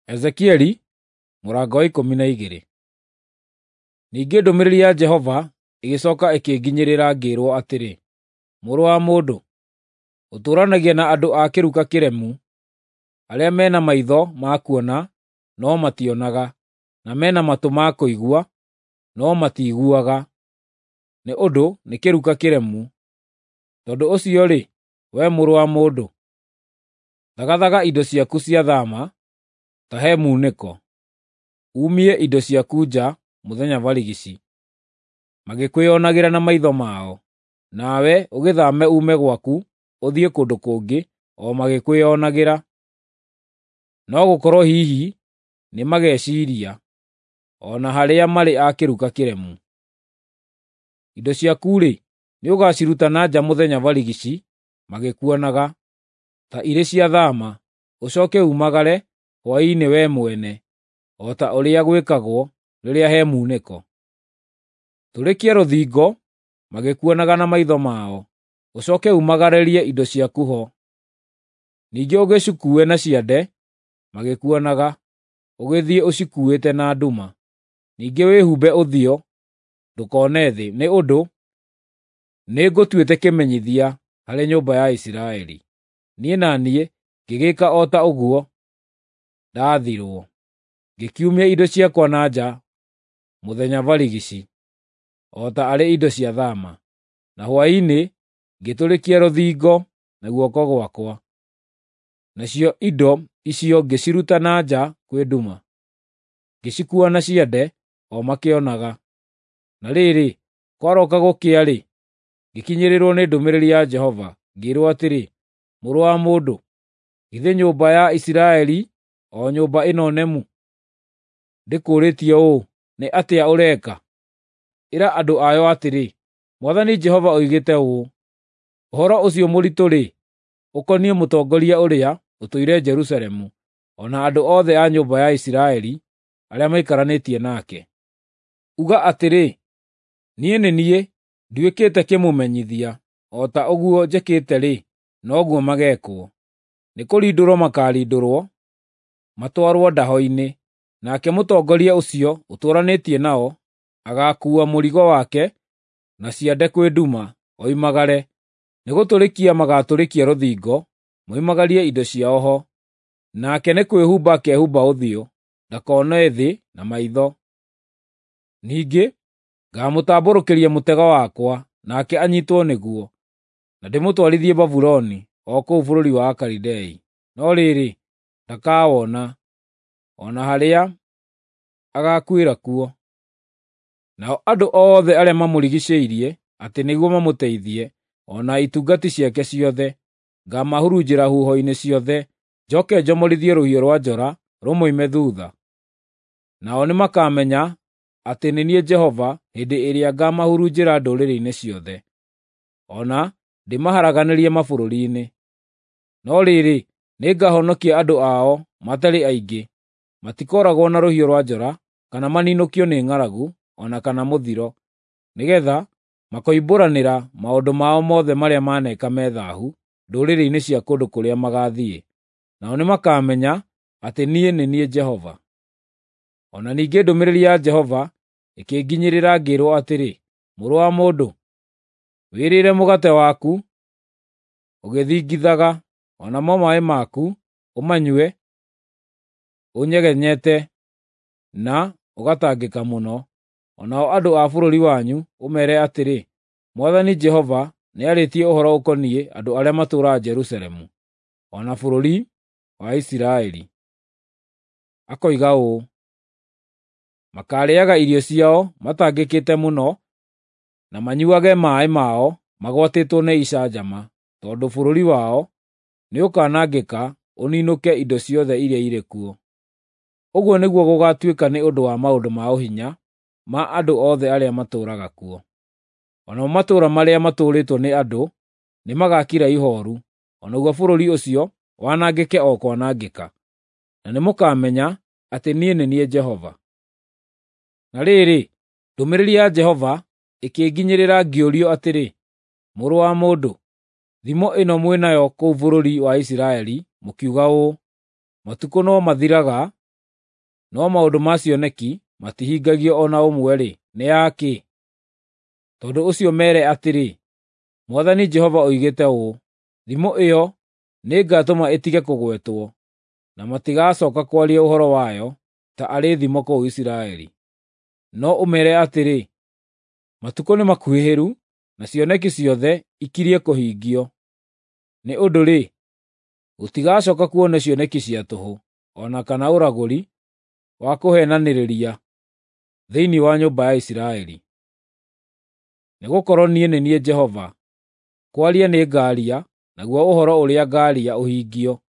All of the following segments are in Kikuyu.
Ezekieli mũrango wa 12. Ningĩ ndũmĩrĩri ya Jehova ĩgĩcooka ĩkĩnginyĩrĩra ngĩĩrwo atĩrĩ, “Mũrũ wa mũndũ, ũtũũranagia na andũ a kĩruka kĩremu, arĩa me na maitho ma kuona, no mationaga, na me na matũ ma kũigua, no matiiguaga, nĩ ũndũ nĩ kĩruka kĩremu. Tondũ ũcio-rĩ, wee mũrũ wa mũndũ, thagathaga indo ciaku cia thaama ta he muunĩko, umie indo ciaku nja mũthenya barigici, magĩkwĩonagĩra na maitho mao, nawe ũgĩthaame uume gwaku ũthiĩ kũndũ kũngĩ o magĩkwĩonagĩra. No gũkorwo hihi nĩmageciiria, o na harĩa marĩ a kĩruka kĩremu. Indo ciaku-rĩ, nĩũgaciruta na nja mũthenya barigici magĩkuonaga, ta irĩ cia thaama, ũcooke uumagare hwaĩ-inĩ wee mwene, o ta ũrĩa gwĩkagwo rĩrĩa he muunĩko. Tũrĩkia rũthingo magĩkuonaga na maitho mao, ũcooke uumagarĩrie indo ciaku ho. Ningĩ ũgĩcikuue na ciande magĩkuonaga, ũgĩthiĩ ũcikuuĩte na nduma. Ningĩ wĩhumbe ũthiũ ndũkone thĩ, nĩ ũndũ nĩngũtuĩte kĩmenyithia harĩ nyũmba ya Isiraeli.” Niĩ na niĩ ngĩgĩĩka o ta ũguo ndaathirwo, ngĩkiumia indo ciakwa na nja mũthenya barigici, o ta arĩ indo cia thaama, na hwaĩ-inĩ ngĩtũrĩkia rũthingo na guoko gwakwa. Nacio indo icio ngĩciruta na nja kwĩ nduma, ngĩcikuua na ciande o makĩonaga. Na rĩrĩ, kwarooka gũkĩa-rĩ, ngĩkinyĩrĩrwo nĩ ndũmĩrĩri ya Jehova, ngĩĩrwo atĩrĩ, “Mũrũ wa mũndũ, githĩ nyũmba ya Isiraeli, o nyũmba ĩno nemu, ndĩkũũrĩtie ũũ, ‘Nĩ atĩa ũreka?’ Ĩra andũ ayo atĩrĩ, ‘Mwathani Jehova oigĩte ũũ: Ũhoro ũcio mũritũ-rĩ, ũkoniĩ mũtongoria ũrĩa ũtũire Jerusalemu, o na andũ othe a nyũmba ya Isiraeli arĩa maikaranĩtie nake. Uga atĩrĩ, niĩ nĩ niĩ nduĩkĩte kĩmũmenyithia, o ta ũguo njĩkĩte-rĩ, noguo mageekwo. Nĩkũrindũrwo makaarindũrwo, matwarwo ndaho-inĩ, nake mũtongoria ũcio ũtũũranĩtie nao agaakuua mũrigo wake na ciande kwĩ nduma, oimagare. Nĩgũtũrĩkia magaatũrĩkia rũthingo, moimagarie indo ciao ho. Nake nĩ kwĩhumba akehumba ũthiũ, ndakone thĩ na maitho. Ningĩ ngaamũtambũrũkĩria mũtego wakwa, nake anyiitwo nĩguo, na ndĩmũtwarithie Babuloni, o kũu bũrũri wa Akalidei. No rĩrĩ, ndakawona, o na harĩa agaakuĩra kuo. Nao andũ othe arĩa mamũrigiicĩirie atĩ nĩguo mamũteithie, o na itungati ciake ciothe, ngaamahurunjĩra huho-inĩ ciothe, njooke njomorithie rũhiũ rwa njora rũmoime thuutha. Nao nĩmakamenya atĩ nĩ niĩ Jehova hĩndĩ ĩrĩa ngaamahurunjĩra ndũrĩrĩ-inĩ ciothe, o na ndĩmaharaganĩrie mabũrũri-inĩ. No rĩrĩ, nĩngahonokia andũ ao matarĩ aingĩ, matikooragwo na rũhiũ rwa njora, kana maninũkio nĩ ng'aragu, o na kana mũthiro, nĩgeetha makoimbũranĩra maũndũ mao mothe marĩa maneeka me thaahu ndũrĩrĩ-inĩ cia kũndũ kũrĩa magaathiĩ. Nao nĩmakamenya atĩ niĩ nĩ niĩ Jehova.” O na ningĩ ndũmĩrĩri ya Jehova ĩkĩnginyĩrĩra ngĩĩrwo atĩrĩ, “Mũrũ wa mũndũ, wĩrĩre mũgate waku ũgĩthingithaga, o namo maaĩ maku ũmanyue ũnyegenyete na ũgatangĩka mũno. O nao andũ a bũrũri wanyu ũmeere atĩrĩ, ‘Mwathani Jehova nĩarĩtie ũhoro ũkoniĩ andũ arĩa matũũraga Jerusalemu, o na bũrũri wa Isiraeli. Akoiga ũũ: Makaarĩĩaga irio ciao matangĩkĩte mũno, na manyuuage maaĩ mao magwatĩtwo nĩ icanjama, tondũ bũrũri wao nĩũkanangĩka ũninũke indo ciothe iria irĩ kuo. Ũguo nĩguo gũgaatuĩka nĩ ũndũ wa maũndũ ma ũhinya ma andũ othe arĩa matũũraga kuo. O namo matũũra marĩa matũũrĩtwo nĩ andũ nĩmagakira ihooru, o naguo bũrũri ũcio wanangĩke o kwanangĩka. Na nĩmũkamenya atĩ niĩ nĩ niĩ Jehova.” Na rĩrĩ, ndũmĩrĩri ya Jehova ĩkĩnginyĩrĩra ngĩũrio atĩrĩ, “Mũrũ wa mũndũ, thimo ĩno mwĩ nayo kũu bũrũri wa Isiraeli mũkiuga ũũ, ‘Matukũ no mathiraga no maũndũ ma cioneki matihingagio o na ũmwe-rĩ, nĩ ya kĩ? Tondũ ũcio meere atĩrĩ, Mwathani Jehova oigĩte ũũ: Thimo ĩyo nĩngatũma ĩtige kũgwetwo, na matigacooka kwaria ũhoro wayo ta arĩ thimo kũu Isiraeli. No ũmeere atĩrĩ, Matukũ nĩmakuhĩhĩru, na cioneki ciothe ikirie kũhingio. Nĩ ũndũ-rĩ, gũtigacooka kuonwo cioneki cia tũhũ, o na kana ũragũri wa kũheenanĩrĩria thĩinĩ wa nyũmba ya Isiraeli. Nĩgũkorwo niĩ nĩ niĩ Jehova, kwaria nĩngaaria, naguo ũhoro ũrĩa ngaaria ũhingio,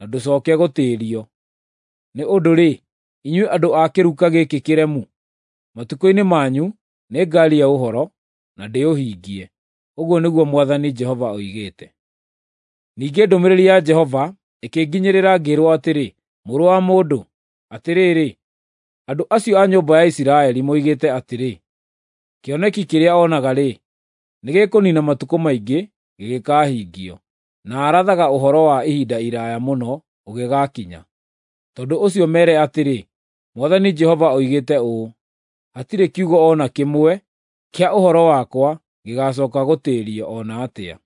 na ndũcooke gũtĩĩrio. Nĩ ũndũ-rĩ, inyuĩ andũ a kĩruka gĩkĩ kĩremu, matukũ-inĩ manyu nĩngaaria ũhoro, na ndĩũhingie, ũguo nĩguo Mwathani Jehova oigĩte. Ningĩ ndũmĩrĩri ya Jehova ĩkĩnginyĩrĩra ngĩĩrwo atĩrĩ, “Mũrũ wa mũndũ, atĩrĩrĩ, andũ acio a nyũmba ya Isiraeli moigĩte atĩrĩ, ‘Kĩoneki kĩrĩa onaga-rĩ, nĩgĩkũniina matukũ maingĩ gĩgĩkahingio, na arathaga ũhoro wa ihinda iraaya mũno ũgĩgaakinya.’ Tondũ ũcio meere atĩrĩ, Mwathani Jehova oigĩte ũũ: Hatirĩ kiugo o na kĩmwe kĩa ũhoro wakwa gĩgaacooka gũtĩĩrio o na atĩa.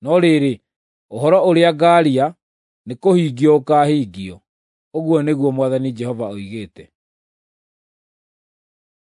No rĩrĩ, ũhoro ũrĩa ngaaria nĩkũhingio ũkaahingio, ũguo nĩguo Mwathani Jehova oigĩte.”